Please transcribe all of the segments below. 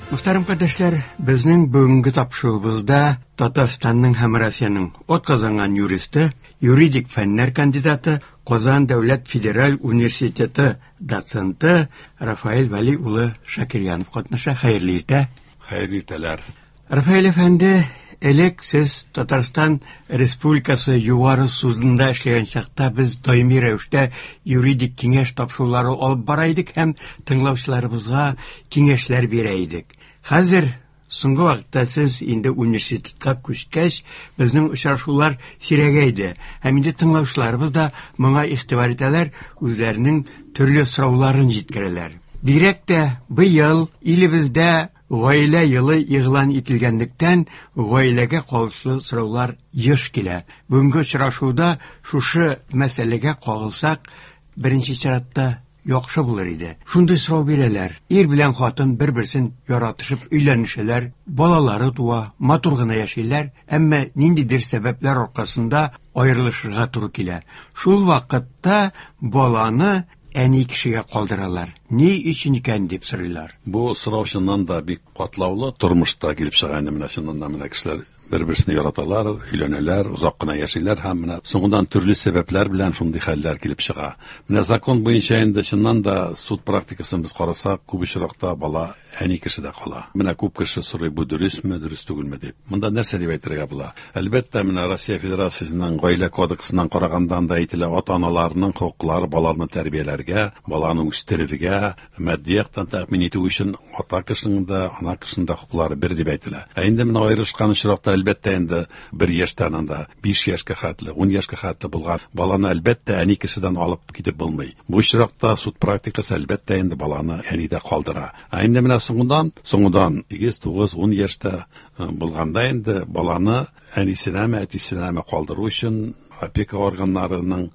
Мөхтәрәм кардәшләр, безнең бүгенге тапшыруыбызда Татарстанның һәм Россиянең атказанган юристы, юридик фәннәр кандидаты, Казан дәүләт федераль университеты доценты Рафаэль Вәли улы Шакирьянов катнаша. Хәерле иртә. Хәерле иртәләр. Рафаэль әфәнде, элек сез Татарстан Республикасы Югары судында эшләгән чакта без даими рәвештә юридик киңәш тапшырулары алып бара идек һәм тыңлаучыларыбызга киңәшләр бирә идек. Хәзер соңгы вакытта сез инде университетка күчкәч, безнең очрашулар сирәгәйде. Һәм инде тыңлаучыларыбыз да моңа игътибар итәләр, үзләренең төрле сорауларын җиткерәләр. Бигрәк тә быел илебездә Гаилә елы игълан ителгәнлектән, гаиләгә кагылышлы сораулар еш килә. Бүгенге очрашуда шушы мәсьәләгә кагылсак, беренче чиратта яхшы булыр иде. Шундый сорау бирәләр. Ир белән хатын бер-берсен яратышып өйләнешәләр, балалары туа, матур гына яшиләр, әмма ниндидер сәбәпләр аркасында аерылышырга туры килә. Шул вакытта баланы әни кешегә калдыралар. Ни өчен икән дип сорыйлар. Бу сорау чыннан да бик катлаулы тормышта килеп чыга инде менә чыннан да менә кешеләр бер-берсен яраталар, өйләнәләр, озак кына яшиләр һәм менә соңыннан төрле сәбәпләр белән шундый хәлләр килеп чыга. Менә закон буенча инде чыннан да суд практикасын без карасак, күп очракта бала әни кешедә кала. Менә күп кеше сорый, бу дөресме, дөрес түгелме дип. Монда нәрсә дип әйтергә була? Әлбәттә, менә Россия Федерациясенең Гаилә кодексыннан караганда анда әйтелә, ата-аналарның хокуклары баланы тәрбияләргә, баланы үстерергә, матди яктан тәэмин итү өчен ата кешенең дә, ана кешенең дә хокуклары бер дип әйтелә. Ә инде менә аерылышкан очракта, әлбәттә инде, бер яшьтән анда 5 яшькә хәтле, 10 яшькә хәтле булган баланы, әлбәттә, әни кешедән алып китеп булмый. Бу очракта суд практикасы, әлбәттә инде, баланы әнидә калдыра. Ә инде менә соңыннан, соңыннан 8, 9, 10 яшьтә булганда инде баланы әнисенәме, әтисенәме калдыру өчен опека органнарының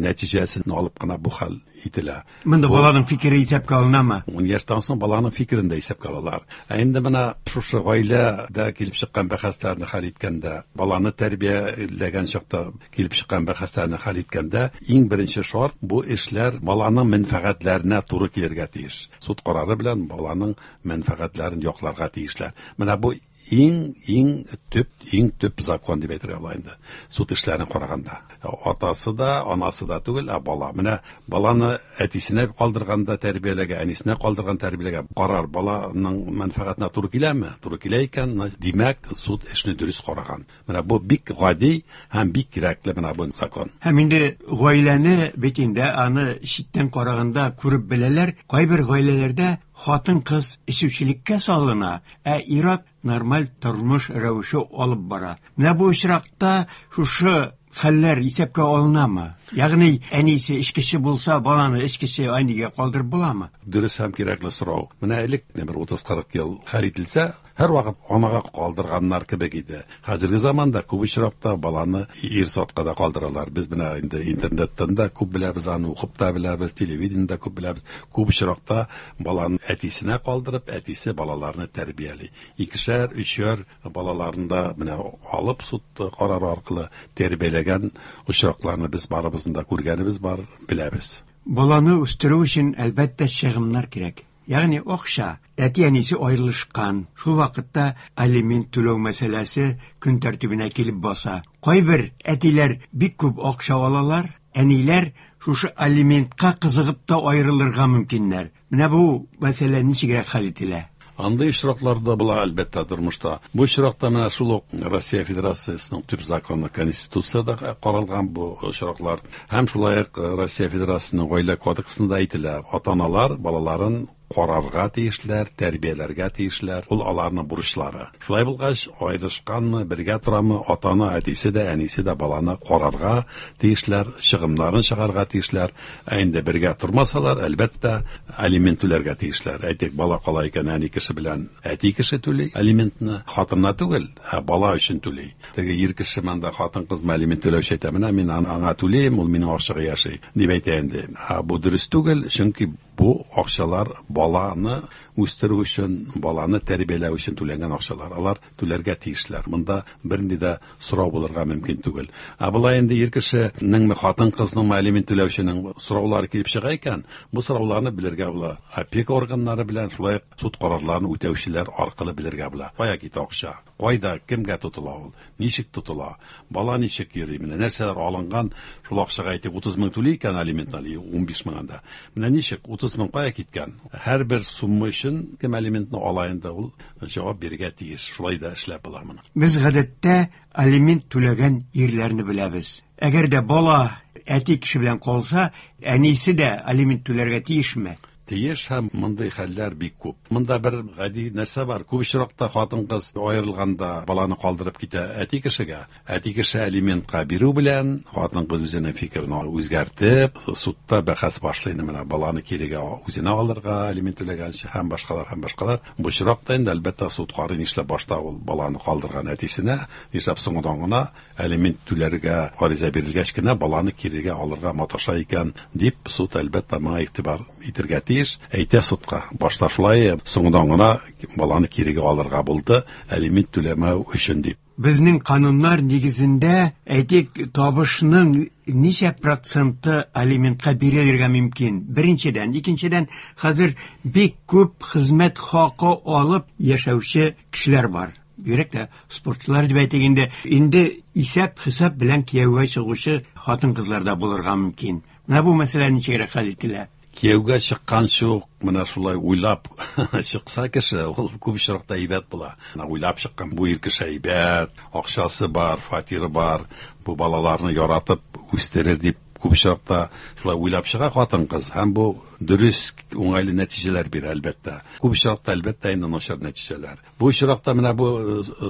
нәтиҗәсен алып кына бу хәл ителә. Монда баланың фикере исәпкә алынамы? 10 яшьтән соң баланың фикерен дә исәпкә алалар. Ә инде менә шушы гаиләдә килеп чыккан бәхәсләрне хәл иткәндә, баланы тәрбияләгән чакта килеп чыккан бәхәсләрне хәл иткәндә, иң беренче шарт бу эшләр баланың мәнфәгатьләренә туры килергә тиеш. Суд карары белән баланың мәнфәгатьләрен якларга тиешләр. Менә бу иң, иң төп, иң төп закон дип әйтергә була инде. Суд эшләрен караганда. Атасы да, анасы да түгел, ә бала. Менә баланы әтисенә калдырганда тәрбияләгә, әнисенә калдырган тәрбияләгә карар баланың мәнфәгатенә туры киләме? Туры килә икән, димәк, суд эшне дөрес караган. Менә бу бик гади һәм бик кирәкле менә бу закон. Һәм инде гаиләне бит инде аны читтән караганда күреп беләләр. Кайбер гаиләләрдә хатын-кыз эчүчелеккә салына, ә ир-ат нормаль тормыш рәвеше алып бара. Менә бу очракта шушы хәлләр исәпкә алынамы? Ягъни әнисе эчкече булса, баланы эчкече әнигә калдырып буламы? Дөрес һәм кирәкле сорау. Менә элек бер 30-40 ел хәл ителсә, һәрвакыт анага калдырганнар кебек иде. Хәзерге заманда күп очракта баланы ир затка да калдыралар. Без менә инде интернеттан да күп беләбез, аны укып та беләбез, телевидениедә күп беләбез. Күп очракта баланы әтисенә калдырып, әтисе балаларны тәрбияли. Икешәр, өчәр балаларын да менә алып суд карары аркылы тәрбияләгән очракларны без барыбызның да күргәнебез бар, беләбез. Баланы үстерү өчен, әлбәттә, чыгымнар кирәк. Ягъни акча. Әти-әнисе аерылышкан. Шул вакытта алимент түләү мәсьәләсе көн тәртибенә килеп баса. Кайбер әтиләр бик күп акча алалар, әниләр шушы алиментка кызыгып та аерылырга мөмкиннәр. Менә бу мәсьәлә ничегрәк хәл ителә? Андый очраклар да була, әлбәттә, тормышта. Бу очракта менә шул ук Россия Федерациясенең төп законы Конституциядә каралган бу очраклар. Һәм шулай ук Россия Федерациясенең Гаилә кодексында әйтелә, ата-аналар балаларын карарга тиешләр, тәрбияләргә тиешләр. Ул аларның бурычлары. Шулай булгач, аерышканмы, бергә торамы, ата-ана, әтисе дә, әнисе дә баланы карарга тиешләр, чыгымнарын чыгарга тиешләр. Ә инде бергә тормасалар, әлбәттә, алимент түләргә тиешләр. Әйтик, бала кала икән, әни кеше белән әти кеше түли алиментны. Хатынына түгел, ә бала өчен түли. Теге ир кеше монда хатын-кыз алимент түләүче әйтә, менә мин аңа түлим, ул минем акчага яши, дип әйтә инде. Ә бу дөрес түгел, чөнки Бу акчалар баланы үстерү өчен, баланы тәрбияләү өчен түләнгән акчалар. Алар түләргә тиешләр. Монда бернинди дә сорау булырга мөмкин түгел. Ә болай инде ир кешенеңме, хатын-кызныңмы алимент түләүченең сораулары килеп чыга икән, бу сорауларны белергә була. Опека органнары белән шулай ук суд карарларын үтәүчеләр аркылы белергә була. Кая китә акча? Кайда, кемгә тотыла ул? Ничек тотыла? Бала ничек йөри? Менә нәрсәләр алынган? Шул акчага әйтик 30 мең түли икән алиментны, 15 мең анда. Менә ничек 30 мең кая киткән? Һәрбер сумма өчен кем алиментны ала инде, ул җавап бирергә тиеш. Шулай да эшләп була моны. Без гадәттә алимент түләгән ирләрне беләбез. Әгәр дә бала әти кеше белән калса, әнисе дә алимент түләргә тиешме? Тиеш, һәм мондый хәлләр бик күп. Монда бер гади нәрсә бар. Күп очракта хатын-кыз аерылганда баланы калдырып китә әти кешегә. Әти кеше алиментка бирү белән хатын-кыз үзенең фикерен үзгәртеп, судта бәхәс башлый. Менә баланы кирегә үзенә алырга алимент түләгәнче һәм башкалар, һәм башкалар. Бу очракта инде әлбәттә суд карый, нишләп башта ул баланы калдырган әтисенә, нишләп соңыннан гына алимент түләргә гариза бирелгәч кенә баланы кирегә алырга маташа икән дип суд әлбәттә моңа игътибар итергә тиеш. Әйтә судка, башта шулай, соңыннан гына баланы кирегә алырга булды алимент түләмәү өчен дип. Безнең кануннар нигезендә, әйтик, табышның ничә проценты алиментка бирелергә мөмкин? Беренчедән, икенчедән, хәзер бик күп хезмәт хакы алып яшәүче кешеләр бар. Бигрәк тә спортчылар дип әйтик инде, инде исәп-хисап белән кияүгә чыгучы хатын-кызлар да булырга мөмкин. Менә бу мәсьәлә ничегрәк хәл ителә? Кияүгә чыкканчы ук менә шулай уйлап чыкса кеше, ул күп очракта әйбәт була. Менә уйлап чыккан бу ир кеше әйбәт, акчасы бар, фатиры бар, бу балаларны яратып үстерер дип күп очракта шулай уйлап чыга хатын-кыз, һәм бу дөрес, уңайлы нәтиҗәләр бирә әлбәттә. Күп очракта әлбәттә инде начар нәтиҗәләр. Бу очракта менә бу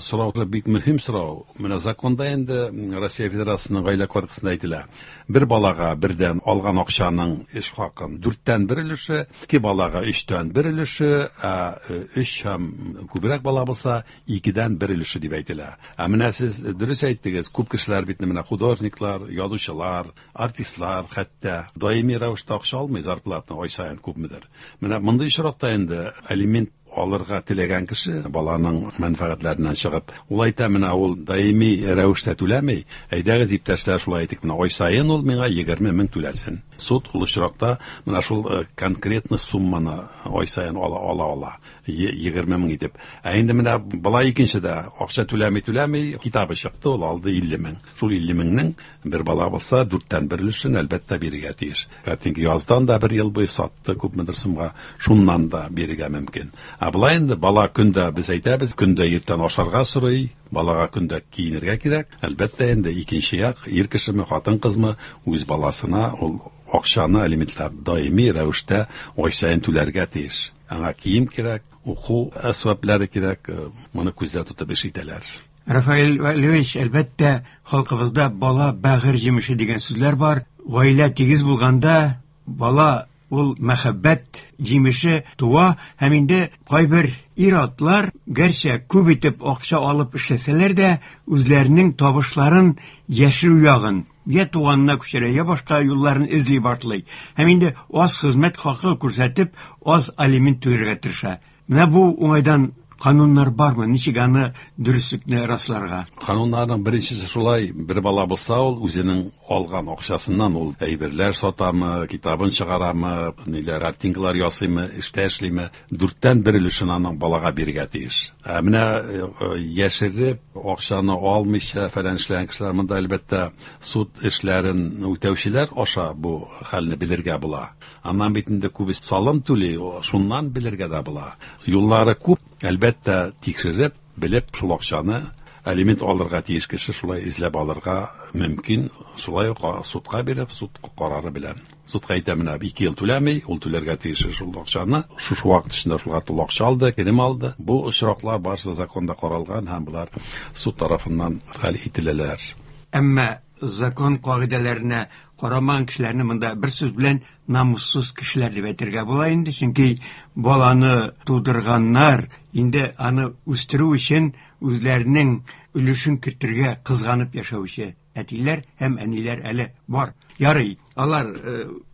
сорау бик мөһим сорау. Менә законда инде Россия Федерациясенең гаилә кодексында әйтелә. Бер балага бердән алган акчаның эш хакын дүрттән бер өлеше, ике балага өчтән бер өлеше, ә өч һәм күбрәк бала булса, икедән бер өлеше дип әйтелә. Ә менә сез дөрес әйттегез, күп кешеләр бит менә художниклар, язучылар, артистлар хәтта даими рәвештә акча алмый зарплатаны ай саен күпмедер. Менә мондый очракта инде алимент алырга теләгән кеше баланың мәнфәгатьләреннән чыгып, ул әйтә, менә ул даими рәвештә түләми, әйдәгез иптәшләр, шулай әйтик, менә ай саен ул миңа егерме мең түләсен. Суд ул очракта менә шул конкретный сумманы ай саен ала ала, егерме мең итеп. Ә инде менә бала икенчедә акча түләми, түләми, китабы чыкты, ул алды илле мең. Шул илле меңнең бер бала булса, дүрттән бер өлешен әлбәттә бирергә тиеш. Картинка яздан да бер ел буе сатты күпмедер сумга, шуннан да бирергә мөмкин. Ә болай инде бала көндә, без әйтәбез, көндә иртән ашарга сорый, балага көндә киенергә кирәк. Әлбәттә инде икенче як, ир кешеме, хатын-кызмы, үз баласына ул акчаны алиментлар даими рәвештә ай саен түләргә тиеш. Аңа кием кирәк, уку әсбаплары кирәк, моны күздә тотып эш итәләр. Рафаэль Валевич, әлбәттә, халкыбызда бала бәгырь җимеше дигән сүзләр бар. Гаилә тигез булганда бала ул мәхәббәт җимеше туа, һәм инде кайбер ир-атлар, гәрчә күп итеп акча алып эшләсәләр дә, үзләренең табышларын яшерү ягын, я туганына күчерә, я башка юлларын эзли башлый. Һәм инде аз хезмәт хакы күрсәтеп, аз алимент түләргә тырыша. Менә бу уңайдан кануннар бармы? Ничек аны дөреслекне расларга? Кануннарның беренчесе шулай, бер бала булса, ул үзенең алган акчасыннан ул әйберләр сатамы, китабын чыгарамы, ниләр, картинкалар ясыймы, эштә эшлиме, дүрттән бер өлешен аның балага бирергә тиеш. Ә менә яшереп, акчаны алмыйча фәлән эшләгән кешеләр монда әлбәттә суд эшләрен үтәүчеләр аша бу хәлне белергә була. Аннан бит инде күбесе салым түли, шуннан белергә дә була. Юллары күп, әлбәттә, тикшереп, белеп, шул акчаны алимент алырга тиеш кеше шулай эзләп алырга мөмкин, шулай ук судка биреп, суд карары белән. Судка әйтә, менә 2 ел түләми, ул түләргә тиеш шул акчаны. Шушы вакыт эчендә шулга тулы акча алды, керем алды. Бу очраклар барысы законда каралган һәм болар суд тарафыннан хәл ителәләр. Әмма закон кагыйдәләренә карамаган кешеләрне монда бер сүз белән намуссыз кешеләр дип әйтергә була инде, чөнки баланы тудырганнар инде аны үстерү өчен үзләренең өлешен кертергә кызганып яшәүче әтиләр һәм әниләр әле бар. Ярый, алар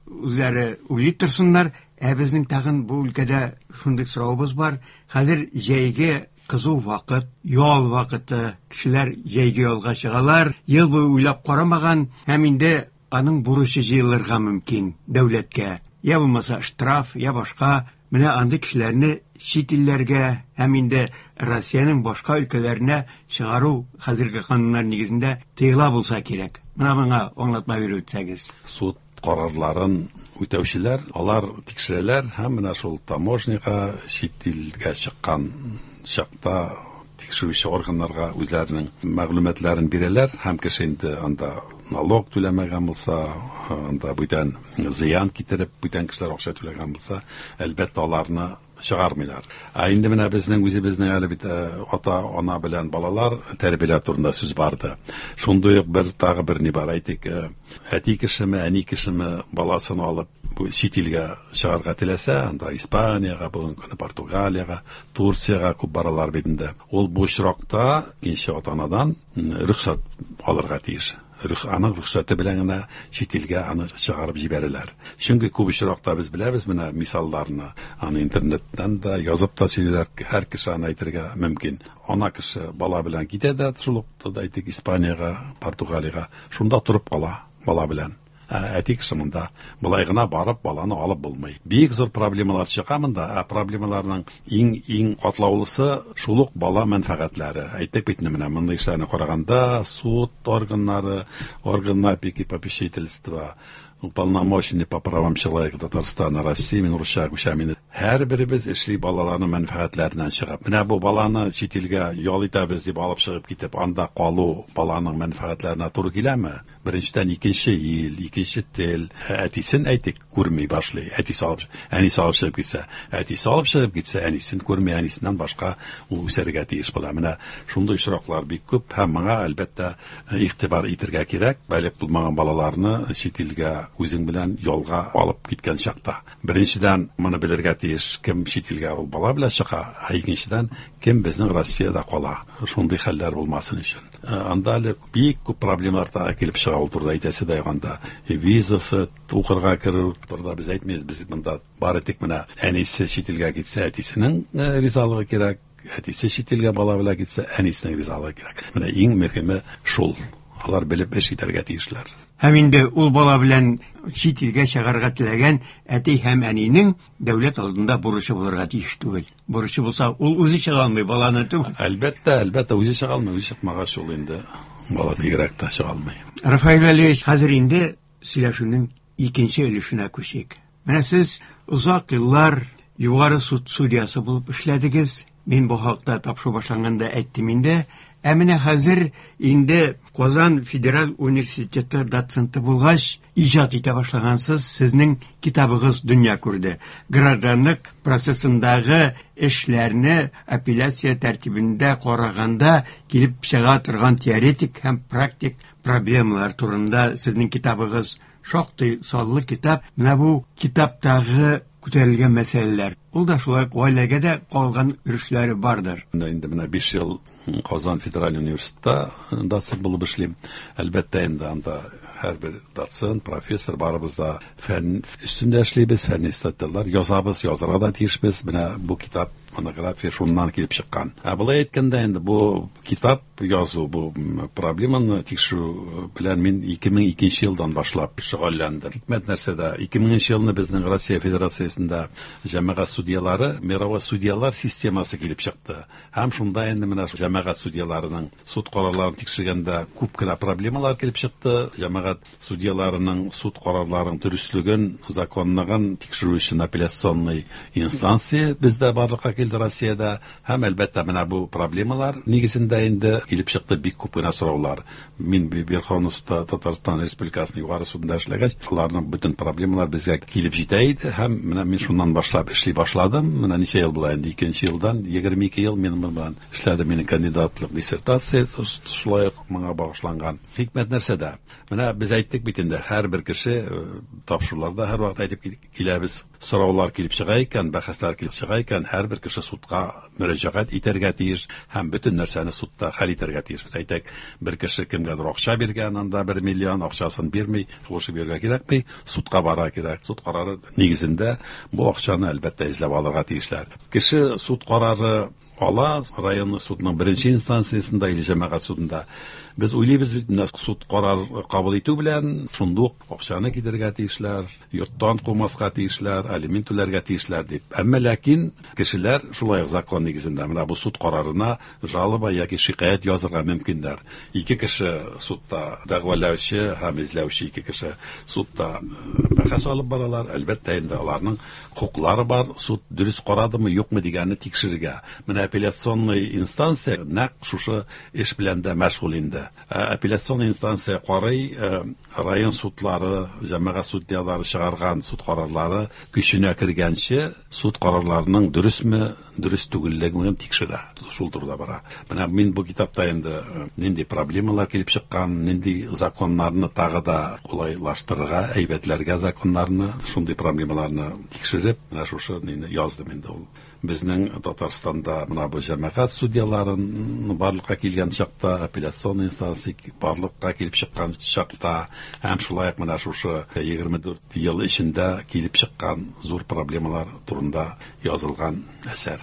Үзләре уйлый торсыннар. Ә безнең тагын бу өлкәдә шундый соравыбыз бар. Хәзер җәйге кызу вакыт, ял вакыты. Кешеләр җәйге ялга чыгалар. Ел буе уйлап карамаган һәм инде аның бурычы җыелырга мөмкин дәүләткә. Я булмаса штраф, я башка. Менә андый кешеләрне чит илләргә һәм инде Россиянең башка өлкәләренә чыгару хәзерге кануннар нигезендә тыела булса кирәк. Менә моңа аңлатма биреп үтсәгез. Суд карарларын үтәүчеләр, алар тикшерәләр һәм менә шул таможняга чит илгә чыккан чакта тикшерүче органнарга үзләренең мәгълүматларын бирәләр һәм кеше инде анда налог түләмәгән булса, анда бүтән зыян китереп, бүтән кешеләр акча түләгән булса, әлбәттә аларны чыгармыйлар. Ә инде менә безнең үзебезнең әле бит ата-ана белән балалар тәрбияләү турында сүз барды. Шундый ук бер тагы бер ни бар, әйтик, әти кешеме, әни кешеме баласын алып бу чит илгә чыгарга теләсә, анда Испаниягә, бүгенге көндә Португалиягә, Турциягә күп баралар бит инде. Ул бу очракта икенче ата-анадан рөхсәт алырга тиеш. Аның рөхсәте белән генә чит илгә аны чыгарып җибәрәләр. Чөнки күп очракта без беләбез менә мисалларны, аны интернеттан да язып та сөйлиләр, һәр кеше аны әйтергә мөмкин. Ана кеше бала белән китә дә, шул ук, әйтик, Испаниягә, Португалиягә, шунда торып кала бала белән. Әти кеше монда болай гына барып баланы алып булмый. Бик зур проблемалар чыга монда, ә проблемаларның иң-иң катлаулысы шул ук бала мәнфәгатьләре. Әйтик бит инде менә мондый эшләрне караганда суд органнары, органы опеки и попечительства, уполномоченный по правам человека Татарстана, России, мин русча күчәм инде. Һәрберебез эшли балаларның мәнфәгатьләреннән чыгып. Менә бу баланы чит илгә ял итәбез дип алып чыгып китеп, анда калу баланың мәнфәгатьләренә туры киләме? Беренчедән, икенче ил, икенче тел. Әтисен әйтик, күрми башлый. Әтисе алып, әнисе алып чыгып китсә, әтисе алып чыгып китсә, әнисен күрми, әнисеннән башка ул үсәргә тиеш була. Менә шундый очраклар бик күп һәм моңа әлбәттә игътибар итәргә кирәк. Балигъ булмаган балаларны чит илгә үзең белән ялга алып киткән чакта. Беренчедән, моны белергә тиеш, кем чит илгә ул бала белән чыга, ә икенчедән, кем безнең Россиядә кала. Шундый хәлләр булмасын өчен. Анда әле бик күп проблемалар тагы килеп чыга, ул турыда әйтәсе дә юк анда. Визасы, укырга керү турыда без әйтмибез, без монда бары тик менә әнисе чит илгә китсә, әтисенең ризалыгы кирәк, әтисе чит илгә бала белән китсә, әнисенең ризалыгы кирәк. Менә иң мөһиме шул. Алар белеп эш итәргә тиешләр. Һәм инде ул бала белән чит илгә чыгарга теләгән әти һәм әнинең дәүләт алдында бурычы булырга тиеш түгел. Бурычы булса, ул үзе чыга алмый, баланы түгел. Әлбәттә, әлбәттә, үзе чыга алмый, үзе чыкмагач ул инде бала бигрәк тә чыга алмый. Рафаэль Вәлиевич, хәзер инде сөйләшүнең икенче өлешенә күчик. Менә сез озак еллар Югары суд судьясы булып эшләдегез. Мин бу хакта тапшыру башланганда әйттем инде. Ә менә хәзер инде Казан федераль университеты доценты булгач, иҗат итә башлагансыз, сезнең китабыгыз дөнья күрде. Гражданлык процессындагы эшләрне апелляция тәртибендә караганда килеп чыга торган теоретик һәм практик проблемалар турында сезнең китабыгыз шактый саллы китап. Менә бу китаптагы күтәрелгән мәсьәләләр. Ул да шулай ук гаиләгә дә калган өлешләре бардыр. Менә инде менә 5 ел Казан федераль университетта доцент булып эшлим. Әлбәттә инде анда һәрбер доцент, профессор барыбыз да фән өстендә эшлибез, фәнни статьялар язабыз, язарга да тиешбез. Менә бу китап, монография шуннан килеп чыккан. Ә болай әйткәндә инде бу китап язу, бу проблеманы тикшерү белән мин 2002 елдан башлап шөгыльләндем. Хикмәт нәрсәдә? 2000 елны безнең Россия Федерациясендә җәмәгать судьялары, мировой судьялар системасы килеп чыкты. Һәм шунда инде менә җәмәгать судьяларының суд карарларын тикшергәндә күп кенә проблемалар килеп чыкты. Җәмәгать судьяларының суд карарларының дөреслеген, законлыгын тикшерү өчен апелляционный инстанция бездә барлыкка килде Россиядә. Һәм әлбәттә менә бу проблемалар нигезендә инде килеп чыкты бик күп кенә сораулар. Мин Верховный судта Татарстан Республикасының Югары судында эшләгәч, аларның бөтен проблемалар безгә килеп җитә иде һәм менә мин шуннан башлап эшли башладым. Менә ничә ел була инде, икенче елдан 22 ел мин моның белән эшләдем. Минем кандидатлык диссертация шулай ук моңа багышланган. Хикмәт нәрсәдә? Менә без әйттек бит инде, һәрбер кеше тапшыруларда һәрвакыт әйтеп киләбез. сораулар килеп чыга икән, бәхәсләр килеп чыга икән, һәрбер кеше судка мөрәҗәгать итәргә тиеш һәм бөтен нәрсәне судта хәл итәргә тиеш. Әйтик, бер кеше кемгәдер акча биргән, анда 1 миллион акчасын бирми, шуышып йөрергә кирәкми, судка бара кирәк. Суд карары нигезендә бу акчаны әлбәттә эзләп алырга тиешләр. Кеше суд карары ала район судының беренче инстанциясендә или җәмәгать судында. Без уйлыйбыз бит, менә суд карар кабул итү белән шундук акчаны китерергә тиешләр, йорттан кумаска тиешләр, алимент түләргә тиешләр дип. Әмма ләкин кешеләр шулай ук закон нигезендә менә бу суд карарына жалоба яки шикаять язырга мөмкиннәр. Ике кеше судта дәгъвалаучы һәм эзләүче ике кеше судта бәхәс алып баралар. Әлбәттә инде аларның хокуклары бар, суд дөрес карадымы, юкмы дигәнне тикшерергә. Менә апелляционный инстанция нәкъ шушы эш белән дә мәшгуль инде. Апелляцион инстанция карый, район судлары, җәмәгать судьялары чыгарган суд карарлары көченә кергәнче суд карарларының дөресме, дөрес түгеллеген тикшерә. Шул турыда бара. Менә мин бу китапта инде нинди проблемалар килеп чыккан, нинди законнарны тагы да кулайлаштырырга, әйбәтләргә законнарны, шундый проблемаларны тикшереп, менә шушы мине яздым инде ул. Безнең Татарстанда менә бу җәмәгать судьяларын барлыкка килгән чакта, апелляцион инстанция барлыкка килеп чыккан чакта һәм шулай ук менә шушы 24 ел эчендә килеп чыккан зур проблемалар турында язылган әсәр.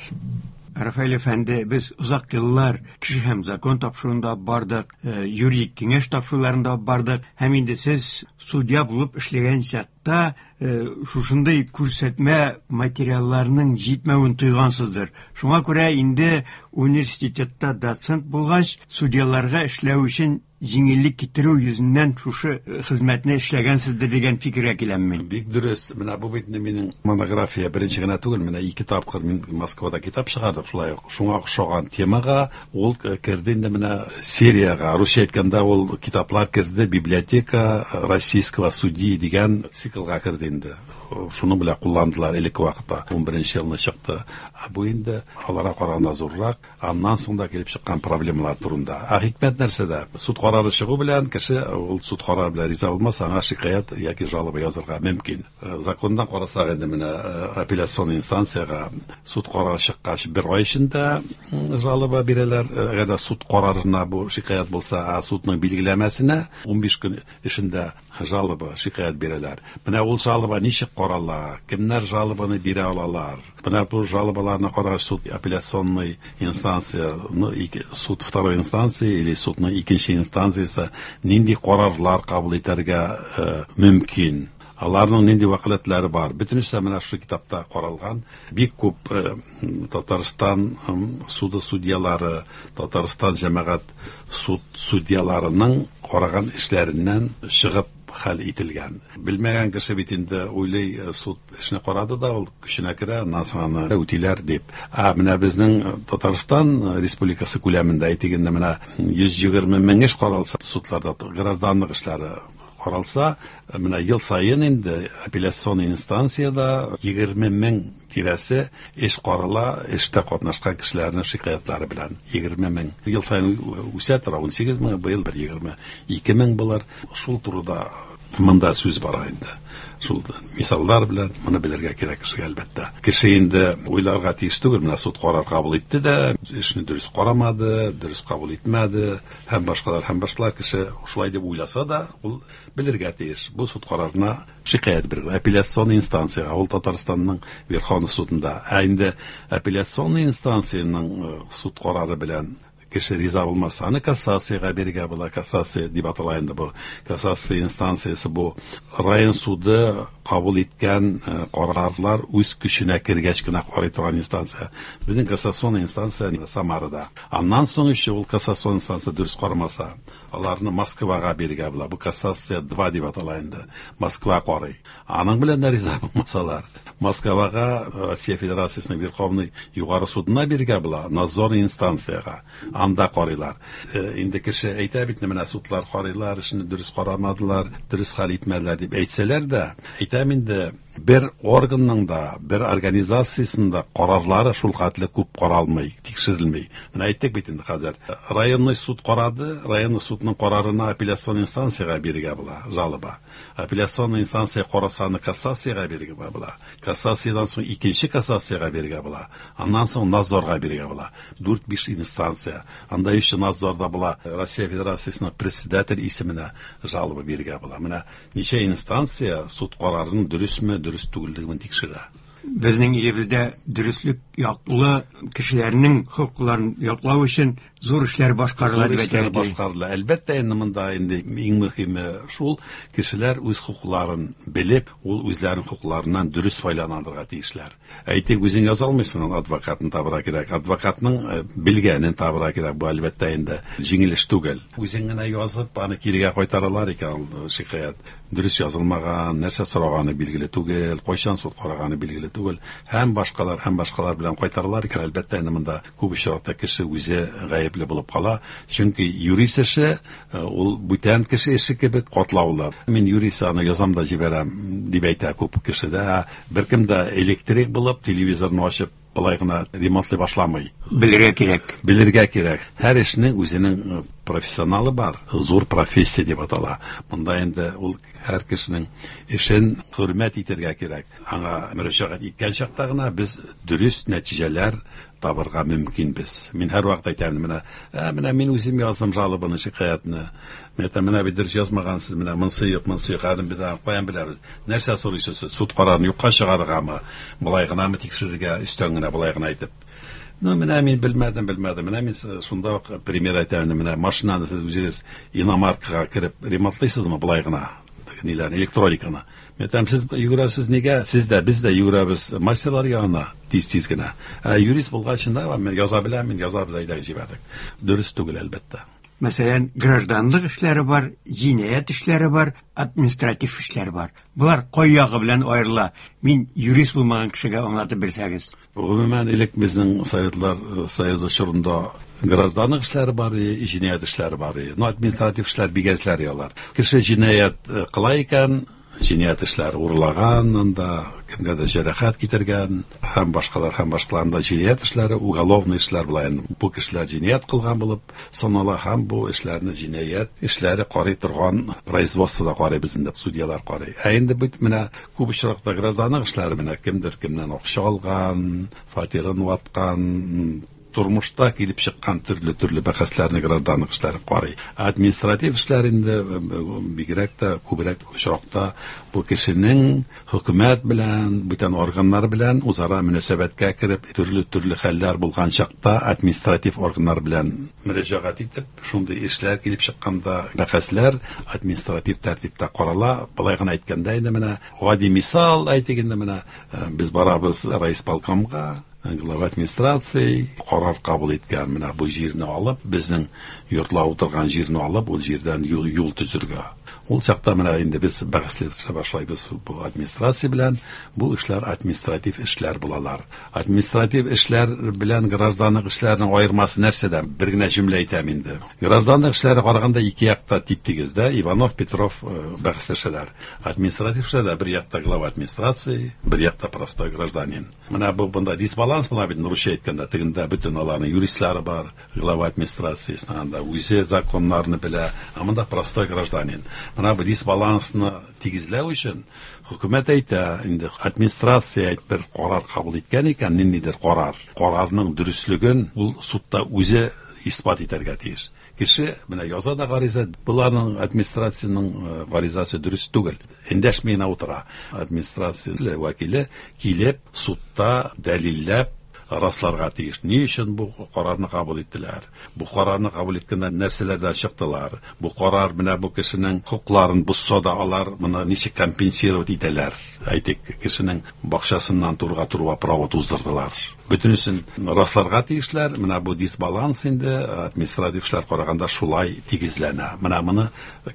Рафаэль әфәнде, без озак еллар кеше һәм закон тапшыруында бардык, юридик киңәш тапшыруларында бардык, һәм инде сез судья булып эшләгән чакта шушындый күрсәтмә материалларның җитмәвен тойгансыздыр. Шуңа күрә инде университетта доцент булгач, судьяларга эшләү өчен җиңеллек китерү йөзеннән шушы хезмәтне эшләгәнсездер дигән фикергә киләм мин. Бик дөрес. Менә бу бит минем монография беренче генә түгел, менә ике тапкыр мин Москвада китап чыгардык шулай ук. Шуңа охшаган темага ул керде инде менә сериягә. Русча әйткәндә ул китаплар керде библиотека российского судьи дигән циклга керде инде. Шуның белән кулландылар элекке вакытта. 11 елны чыкты. Ә бу инде аларга караганда зуррак. Аннан соң да килеп чыккан проблемалар турында. Ә хикмәт нәрсәдә? Суд карары чыгу белән кеше ул суд карары белән риза булмаса, аңа шикаять яки жалоба язырга мөмкин. Закондан карасак инде менә апелляцион инстанциягә суд карары чыккач бер ай эчендә жалоба бирәләр. Әгәр дә суд карарына бу шикаять булса, ә судның билгеләмәсенә 15 көн эчендә жалоба, шикаять бирәләр. Менә ул жалоба ничек карала, кемнәр жалобаны бирә алалар? Менә бу жалобаларны карагач суд апелляционный инстанция, ну, суд второй инстанции или судның икенче инстанциясе нинди карарлар кабул итәргә мөмкин? Аларның нинди вәкаләтләре бар? Бөтенесе менә шушы китапта каралган. Бик күп Татарстан суды судьялары, Татарстан җәмәгать суд судьяларының караган эшләреннән чыгып хәл ителгән. Белмәгән кеше бит инде уйлый, суд эшне карады да, ул көченә керә, аннан соң аны үтиләр дип. Ә менә безнең Татарстан Республикасы күләмендә әйтик инде менә 120 мең эш каралса, судларда гражданлык эшләре каралса, менә ел саен инде апелляцион инстанцияда 20 мең тирәсе эш карала, эштә катнашкан кешеләрнең шикаятьләре белән 20 мең. Ел саен үсә тора, 18 мең, быел бер 22 мең булыр. Шул турыда монда сүз бара инде. Шул мисаллар белән моны белергә кирәк кешегә әлбәттә. Кеше инде уйларга тиеш түгел, менә суд карар кабул итте дә, эшне дөрес карамады, дөрес кабул итмәде һәм башкалар, һәм башкалар. Кеше шулай дип уйласа да, ул белергә тиеш. Бу суд карарына шикаять бирергә, апелляцион инстанциягә, ул Татарстанның Верховный судында. Ә инде апелляцион инстанциянең суд карары белән кеше риза булмаса, аны кассациягә бирергә була. Кассация дип атала инде бу. Кассация инстанциясе бу район суды кабул иткән карарлар үз көченә кергәч кенә карый торган инстанция. Безнең кассацион инстанция Самарада. Аннан соң еще ул кассацион инстанция дөрес карамаса, аларны Москвага бирергә була. Бу кассация 2 дип атала инде. Москва карый. Аның белән дә риза булмасалар, Москвага Россия Федерациясенең Верховный Югары судына бирергә була, надзорный инстанциягә. Анда карыйлар. Инде кеше әйтә бит, менә судлар карыйлар, эшне дөрес карамадылар, дөрес хәл итмәделәр дип әйтсәләр дә, әйтәм инде, Бер органның да, бер организациясенең дә карарлары шул хәтле күп каралмый, тикшерелми. Менә әйттек бит инде хәзер. Районный суд карады, районный судның карарына апелляцион инстанциягә бирергә була, жалоба. Апелляцион инстанция караса, аны кассациягә бирергә була. Кассациядән соң икенче кассациягә бирергә була. Аннан соң надзорга бирергә була. 4-5 инстанция. Анда еще надзорда була Россия Федерациясенең председатель исеменә жалоба бирергә була. Менә ничә инстанция суд карарының дөресме, дөрес түгеллеген тикшерә. Безнең илебездә дөреслек яклы кешеләрнең хокукларын яклау өчен зур эшләр башкарыла Зур дип эшләр әйтергә кирәк. башкарыла. Әлбәттә, инде монда инде иң мөһиме шул, кешеләр үз хокукларын белеп, ул үзләренең хокукларыннан дөрес файдаланырга тиешләр. Әйтик, үзең яза алмыйсың, адвокатны табырга кирәк. Адвокатның белгәнен табырга кирәк. Бу әлбәттә инде җиңел эш түгел. Үзең генә язып, аны кирегә кайтаралар икән, ул шикаять дөрес язылмаган, нәрсә сораганы билгеле түгел, кайчан суд караганы билгеле түгел, һәм башкалар, һәм башкалар белән кайтаралар икән, әлбәттә инде монда күп очракта кеше үзе гаепле булып кала. Чөнки юрист эше, ул бүтән кеше эше кебек катлаулы. Мин юрист, аны язам да җибәрәм дип әйтә күп кеше дә. Беркем дә электрик булып, телевизорны ачып, былай гына ремонтлый башламый. Белергә кирәк. Белергә кирәк. Һәр эшнең үзенең профессионалы бар, зур профессия дип атала. Монда инде ул һәр кешенең эшен хөрмәт итәргә кирәк. Аңа мөрәҗәгать иткән чакта гына без дөрес нәтиҗәләр табырга мөмкинбез. Мин һәрвакыт әйтәм, менә мин үзем яздым жалобаны, шикаятьне. Мин әйтәм, менә бит дөрес язмагансыз, менә монсы юк, монсы юк, хәзер без аны каян беләбез? Нәрсә сорыйсыз сез? Суд карарын юкка чыгарыргамы? Болай гынамы тикшерергә, өстән генә болай гына әйтеп. Ну, менә мин белмәдем, белмәдем. Менә мин шунда ук пример әйтәм, менә машинаны сез үзегез иномаркага кереп ремонтлыйсызмы болай гына? Ниләрне, электрониканы. Мин әйтәм, сез йөгерәсез нигә? Сез дә, без дә йөгерәбез мастерлар янына тиз-тиз генә. Ә юрист булгач, да, мин яза беләм, мин язабыз, әйдә җибәрдек. Дөрес түгел, әлбәттә. Мәсәлән, гражданлык эшләре бар, җинаять эшләре бар, административ эшләр бар. Болар кай ягы белән аерыла? Мин юрист булмаган кешегә аңлатып бирсәгез. Гомумән, элек безнең Советлар Союзы чорында гражданлык эшләре бар, җинаять эшләре бар. Ну, административ эшләр бик әзләр алар. Кеше җинаять кыла икән, җинаять эшләре урлаган, анда кемгәдер җәрәхәт китергән һәм башкалар, һәм башкалар, анда җинаять эшләре, уголовный эшләр була инде. Бу кешеләр җинаять кылган булып санала һәм бу эшләрне җинаять эшләре карый торган производствода карыйбыз инде, судьялар карый. Ә инде бит менә күп очракта гражданлык эшләре, менә кемдер кемнән акча алган, фатирын ваткан, тормышта килеп чыккан төрле-төрле бәхәсләрне гражданлык эшләре карый. Административ эшләр инде бигрәк тә күбрәк очракта бу кешенең хөкүмәт белән, бүтән органнар белән үзара мөнәсәбәткә кереп, төрле-төрле хәлләр булган чакта административ органнар белән мөрәҗәгать итеп, шундый эшләр килеп чыкканда бәхәсләр административ тәртиптә карала. Болай гына әйткәндә инде менә гади мисал әйтик инде менә без барабыз райисполкомга, глава администрации карар кабул иткән, менә бу җирне алып, безнең йортлар утырган җирне алып, ул җирдән юл төзергә. Ул чакта менә инде без бәхәсләшә башлайбыз бу администрация белән. Бу эшләр административ эшләр булалар. Административ эшләр белән гражданлык эшләренең аермасы нәрсәдә? Бер генә җөмлә әйтәм инде. Гражданлык эшләре караганда ике якта тип-тигез дә, Иванов, Петров бәхәсләшәләр. Административ эшләрдә бер якта глава администрации, бер якта простой гражданин. Менә бу бында дисбаланс була бит, русча әйткәндә, тегендә бөтен аларның юристлары бар, глава администрациясенең анда үзе законнарны белә, ә монда простой гражданин. Менә бу дисбалансны тигезләү өчен хөкүмәт әйтә, инде администрация әйт бер карар кабул иткән икән, ниндидер карар. Карарның дөреслеген ул судта үзе исбат итәргә тиеш. Кеше менә яза да гариза, буларның администрациянең гаризасы дөрес түгел. Эндәшми генә утыра. Администрация вәкиле килеп судта дәлилләп расларга тиеш. Ни өчен бу карарны кабул иттеләр? Бу карарны кабул иткәндә нәрсәләрдән чыктылар? Бу карар менә бу кешенең хокукларын бозса да алар моны ничек компенсировать итәләр? Әйтик, кешенең бакчасыннан турга турба провод уздырдылар. Бөтенесен расларга тиешләр. Менә бу дисбаланс инде административ эшләр караганда шулай тигезләнә. Менә моны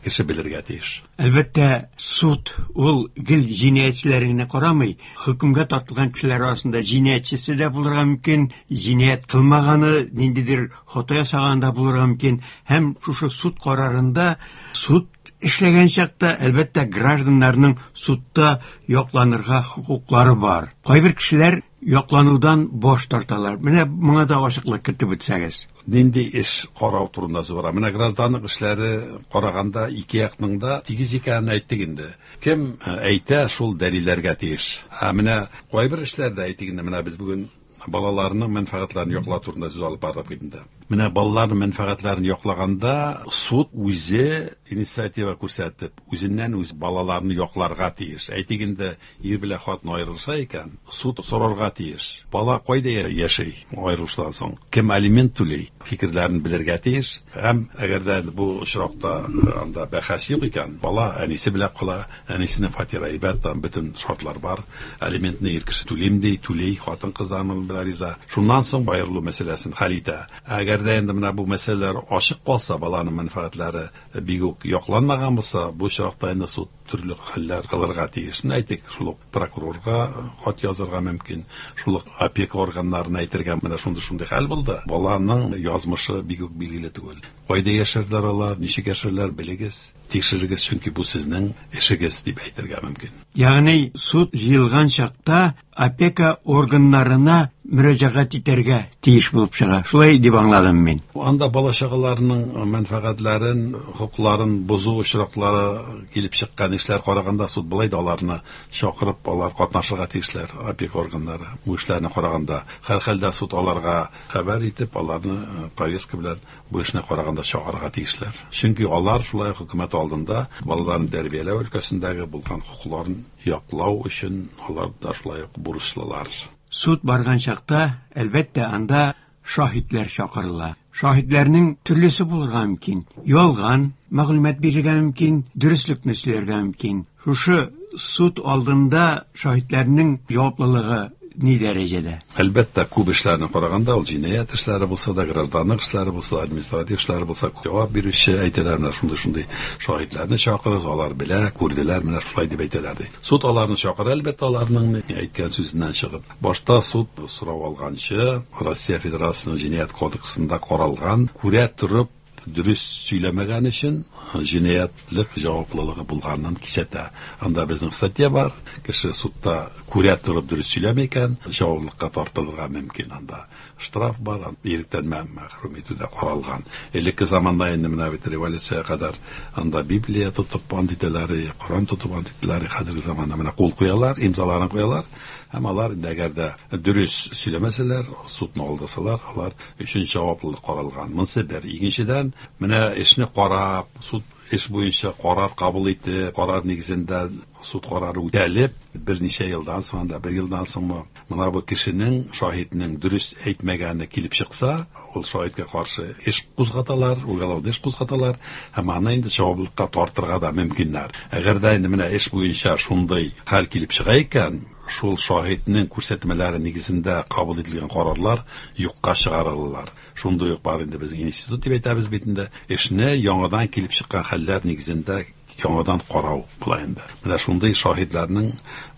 кеше белергә тиеш. Әлбәттә, суд ул гел җинаятьчеләрне генә карамый. Хөкемгә тартылган кешеләр арасында җинаятьчесе дә булырга мөмкин, җинаять кылмаганы, ниндидер хата ясаганы да булырга мөмкин. Һәм шушы суд карарында суд эшләгән чакта, әлбәттә, гражданнарның судта якланырга хокуклары бар. Кайбер кешеләр якланудан баш тарталар. Менә моңа да ачыклык кертеп үтсәгез. Нинди эш карау турында сүз бара? Менә гражданлык эшләре караганда ике якның да тигез икәнен әйттек инде. Кем әйтә, шул дәлилләргә тиеш. Ә менә кайбер эшләрдә, әйтик инде, менә без бүген балаларның мәнфәгатьләрен яклау турында сүз алып бардык бит инде. Менә балаларның мәнфәгатьләрен яклаганда суд үзе инициатива күрсәтеп, үзеннән үз балаларны якларга тиеш. Әйтик инде, ир белән хатын аерылыша икән, суд сорарга тиеш. Бала кайда яши аерылыштан соң? Кем алимент түли? Фикерләрен белергә тиеш. Һәм әгәр дә бу очракта анда бәхәс юк икән, бала әнисе белән кала, әнисенең фатиры әйбәт, там бөтен шартлар бар. Алиментны ир кеше түлим ди, түли, хатын-кыз да аның белән риза. Шуннан соң аерылу мәсьәләсен хәл итә. Әгәр дә инде менә бу мәсьәләләр ачык калса, баланың мәнфәгатьләре бик үк якланмаган булса, бу очракта инде суд төрле хәлләр кылырга тиеш. Әйтик, шул ук прокурорга хат язырга мөмкин, шул ук опека органнарына әйтергә, менә шундый-шундый хәл булды. Баланың язмышы бик үк билгеле түгел. Кайда яшәрләр алар, ничек яшәрләр, белегез, тикшерегез, чөнки бу сезнең эшегез дип әйтергә мөмкин. Ягъни суд җыелган чакта опека органнарына мөрәҗәгать итәргә тиеш булып чыга. Шулай дип аңладым мин. Анда бала чагаларының мәнфәгатьләрен, хокукларын бозу очраклары килеп чыккан эшләр караганда суд былай да аларны чакырып, алар катнашырга тиешләр, опека органнары бу эшләрне караганда. Һәрхәлдә суд аларга хәбәр итеп, аларны повестка белән бу эшне караганда чакырырга тиешләр. Чөнки алар шулай хөкүмәт алдында балаларны тәрбияләү өлкәсендәге булган хокукларын яклау өчен алар да шулай ук бурычлылар. Суд барган чакта, әлбәттә, анда шаһитләр чакырыла. Шаһитләрнең төрлесе булырга мөмкин. Ялган мәгълүмат бирергә мөмкин, дөреслекне сөйләргә мөмкин. Шушы суд алдында шаһитләрнең җаваплылыгы ни дәрәҗәдә? Әлбәттә, күп эшләрне караганда, ул җинаять эшләре булса да, гражданлык эшләре булса да, административ эшләре булса, җавап бирүче әйтәләр, менә шундый-шундый шаһитләрне чакырыгыз, алар белә, күрделәр, менә шулай дип әйтәләр ди. Суд аларны чакыра, әлбәттә, аларның әйткән сүзеннән чыгып. Башта суд сорау алганчы, Россия Федерациясенең җинаять кодексында каралган, күрә торып дөрес сөйләмәгән өчен җинаятьлек җаваплылыгы булганын кисәтә. Анда безнең статья бар, кеше судта күрә торып дөрес сөйләми икән, җаваплылыкка тартылырга мөмкин. Анда штраф бар, иректән мәхрүм итү дә каралган. Элекке заманда инде менә бит революциягә кадәр анда Библия тотып ант итәләр, Коран тотып ант итәләр. Хәзерге заманда менә кул куялар, имзаларын куялар. Һәм алар инде әгәр дә дөрес сөйләмәсәләр, судны алдасалар, алар өчен җаваплылык каралган. Монысы бер. Икенчедән, менә эшне карап, суд эш буенча карар кабул итеп, карар нигезендә суд карары үтәлеп, берничә елдан соң, анда бер елдан соңмы, менә бу кешенең, шаһитнең дөрес әйтмәгәне килеп чыкса, ул шаһиткә каршы эш кузгаталар, уголовный эш кузгаталар һәм аны инде җаваплылыкка тартырга да мөмкиннәр. Әгәр дә инде менә эш буенча шундый хәл килеп чыга икән, шул шаһитнең күрсәтмәләре нигезендә кабул ителгән карарлар юкка чыгарылалар. Шундый ук бар инде безнең институт дип әйтәбез бит инде. Эшне яңадан килеп чыккан хәлләр нигезендә яңадан карау була инде. Менә шундый шаһитларның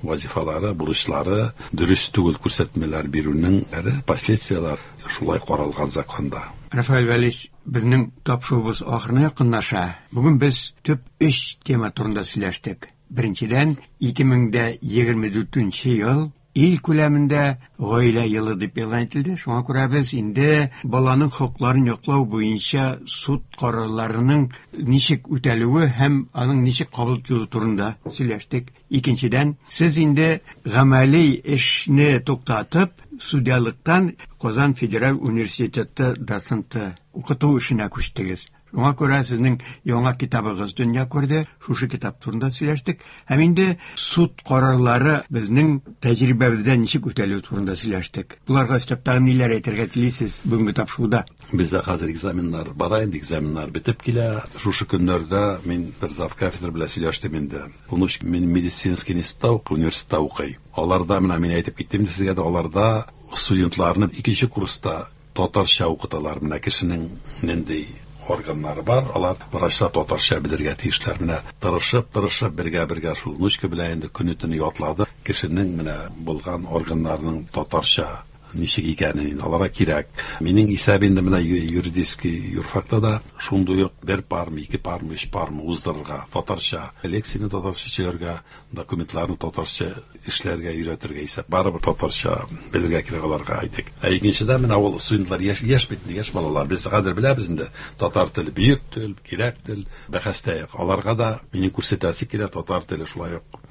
вазифалары, бурычлары, дөрес түгел күрсәтмәләр бирүнең последствияләр шулай каралган законда. Рафаэль Вәлич, безнең тапшыруыбыз ахырына якынлаша. Бүген без төп өч тема турында сөйләштек. Беренчедән, 2024 ел ил күләмендә гаилә елы дип игълан ителде. Шуңа күрә без инде баланың хокукларын яклау буенча суд карарларының ничек үтәлүе һәм аның ничек кабул ителүе турында сөйләштек. Икенчедән, сез инде гамәли эшне туктатып, судьялыктан Казан федераль университеты доценты укыту эшенә күчтегез. Шуңа күрә сезнең яңа китабыгыз дөнья күрде. Шушы китап турында сөйләштек. Һәм инде суд карарлары безнең тәҗрибәбездә ничек үтәлүе турында сөйләштек. Буларга өстәп тагын ниләр әйтергә телисез бүгенге тапшыруда? Бездә хәзер экзаменнар бара инде, экзаменнар бетеп килә. Шушы көннәрдә мин бер зав кафедра белән сөйләштем инде. Внучка мин медицинский институтта укый, университетта укый. Аларда менә мин әйтеп киттем инде сезгә дә, аларда Студентларны икенче курста татарча укыталар. Менә кешенең нинди органнары бар, алар врачлар татарча белергә тиешләр. Менә тырышып-тырышып бергә-бергә шул внучка белән инде көне-төне ятлады. Кешенең менә булган органнарының татарча ничек икәнен инде аларга кирәк. Минем исәп инде менә юридический юрфакта да шундый ук бер пармы, ике пармы, өч пармы уздырырга, татарча лекцияне татарча сөйләргә, документларны татарча эшләргә өйрәтергә исәп. Барыбер татарча белергә кирәк аларга, әйтик. Ә икенчедән менә ул студентлар яшь, яшь бит, яшь балалар. Без хәзер беләбез инде, татар теле бөек тел, кирәк тел, бәхәстә юк. Аларга да минем күрсәтәсе килә, татар теле шулай ук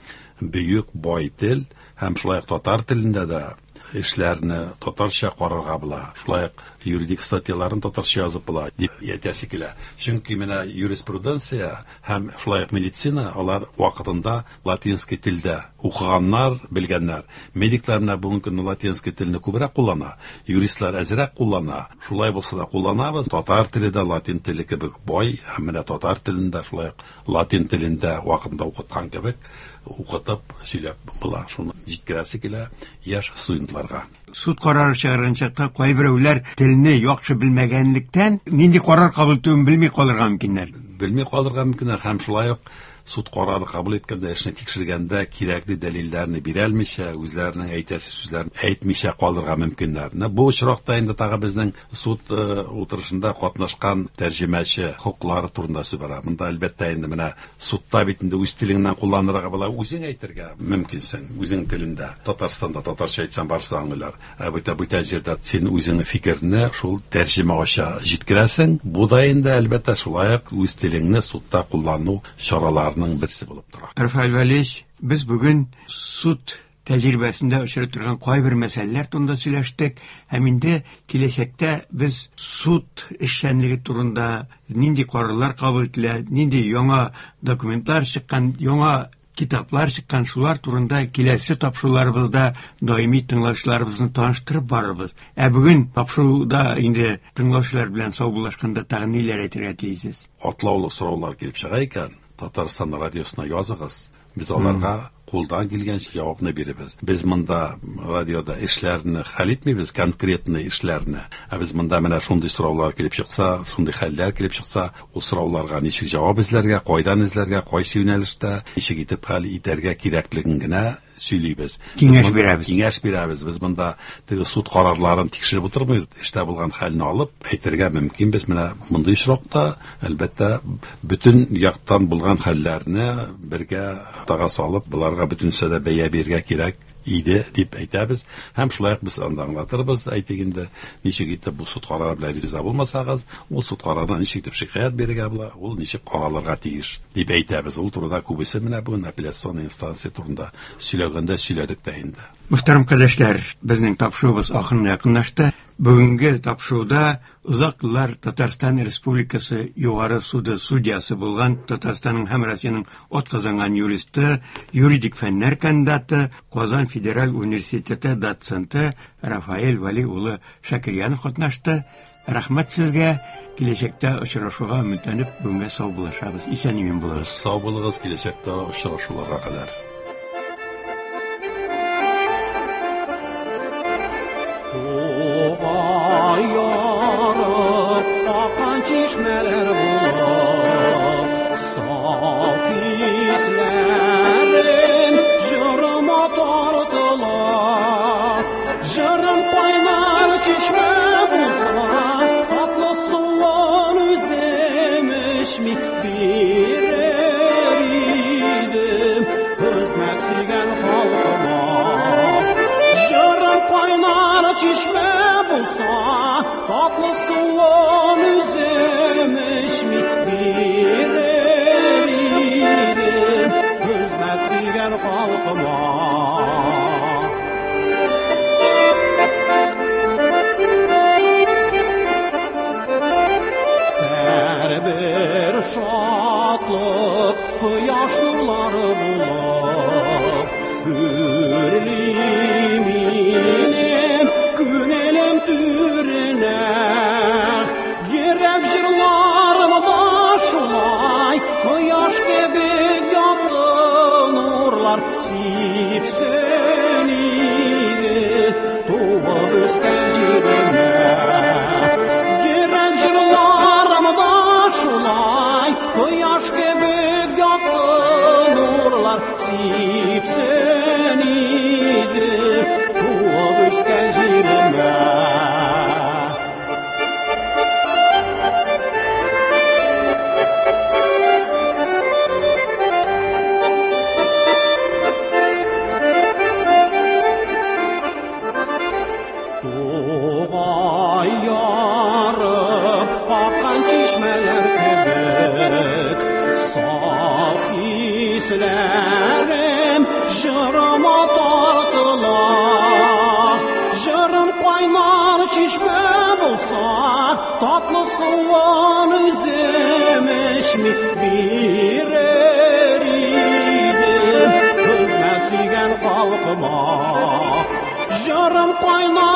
бөек, бай тел һәм шулай ук татар телендә дә эшләрне татарча карарга була. Шулай ук юридик статьяларын татарча язып була дип әйтәсе килә. Чөнки менә юриспруденция һәм шулай ук медицина алар вакытында латинский телдә укыганнар, белгәннәр. Медиклар менә бүгенге көндә латинский телне күбрәк куллана, юристлар әзрәк куллана. Шулай булса да кулланабыз. Татар теле дә латин теле кебек бай һәм менә татар телендә шулай ук латин телендә вакытында укыткан кебек укытып сөйләп була. Шуны җиткерәсе килә яшь студентларга. Суд карары чыгарган чакта кайберәүләр телне яхшы белмәгәнлектән нинди карар кабул итүен белми калырга мөмкиннәр. Белми калырга мөмкиннәр һәм шулай ук суд карары кабул иткәндә, эшне тикшергәндә кирәкле дәлилләрне бирә алмыйча, үзләренең әйтәсе сүзләрен әйтмичә калырга мөмкиннәр. Менә бу очракта инде тагы безнең суд утырышында катнашкан тәрҗемәче хокуклары турында сүз бара. Монда әлбәттә инде менә судта бит инде үз телеңнән кулланырга була, үзең әйтергә мөмкинсең, үзең телендә. Татарстанда татарча әйтсәң барысы аңлыйлар. Ә бит бүтән җирдә син үзеңнең фикерне шул тәрҗемә аша җиткерәсең. Бу да инде әлбәттә шулай ук үз телеңне судта куллану чараларының берсе булып тора. Рафаэль Валиевич, без бүген суд тәҗрибәсендә очрый торган кайбер мәсьәләләр турында сөйләштек һәм инде киләчәктә без суд эшчәнлеге турында нинди карарлар кабул ителә, нинди яңа документлар чыккан, яңа китаплар чыккан, шулар турында киләсе тапшыруларыбызда даими тыңлаучыларыбызны таныштырып барырбыз. Ә бүген тапшыруда инде тыңлаучылар белән саубуллашканда тагын ниләр әйтергә телисез? Катлаулы сораулар килеп чыга икән, Татарстан радиосына языгыз. Без аларга кулдан килгәнчә җавапны бирәбез. Без монда радиода эшләрне хәл итмибез, конкретный эшләрне. Ә без монда менә шундый сораулар килеп чыкса, шундый хәлләр килеп чыкса, ул сорауларга ничек җавап эзләргә, кайдан эзләргә, кайсы юнәлештә, ничек итеп хәл итәргә кирәклеген генә сөйлибез. Киңәш бирәбез. Киңәш бирәбез. Без монда теге суд карарларын тикшереп утырмыйбыз. Эштә булган хәлне алып әйтергә мөмкин. Без менә мондый очракта, әлбәттә, бөтен яктан булган хәлләрне бергә тага салып, буларга бөтенсә дә бәя бирергә кирәк иде дип әйтәбез. Һәм шулай ук без анда аңлатырбыз, әйтик инде, ничек итеп бу суд карары белән риза булмасагыз, ул суд карарына ничек итеп шикаять бирергә була, ул ничек каралырга тиеш дип әйтәбез. Ул турыда күбесе менә бүген апелляцион инстанция турында сөйләгәндә сөйләдек тә инде. Мөхтәрәм кардәшләр, безнең тапшыруыбыз ахырына якынлашты. Бүгенге тапшыруда озак еллар Татарстан Республикасы Югары суды судьясы булган Татарстанның һәм Россиянең атказанган юристы, юридик фәннәр кандидаты, Казан федераль университеты доценты Рафаэль Вали улы Шакирьянов катнашты. Рәхмәт сезгә. Киләчәктә очрашуга өметләнеп, бүгенгә саубуллашабыз. Исән-имин булыгыз. Сау булыгыз, киләчәктә очрашуларга кадәр. Ярып аккан чишмәләр булып, саф хисләрем җырыма тартыла. Җырым кайнар чишмә булса, татлы суын үзем эчми бирер идем хезмәт сөйгән халкыма. Җырым кайнар чишмә булса, татлы суын үзем эчми Чишмәләр кебек саф хисләрем җырыма тартыла. Җырым кайнар чишмә булса, татлы суын үзем эчми бирер идем. Хезмәт сөйгән халкыма. Җырым кайнар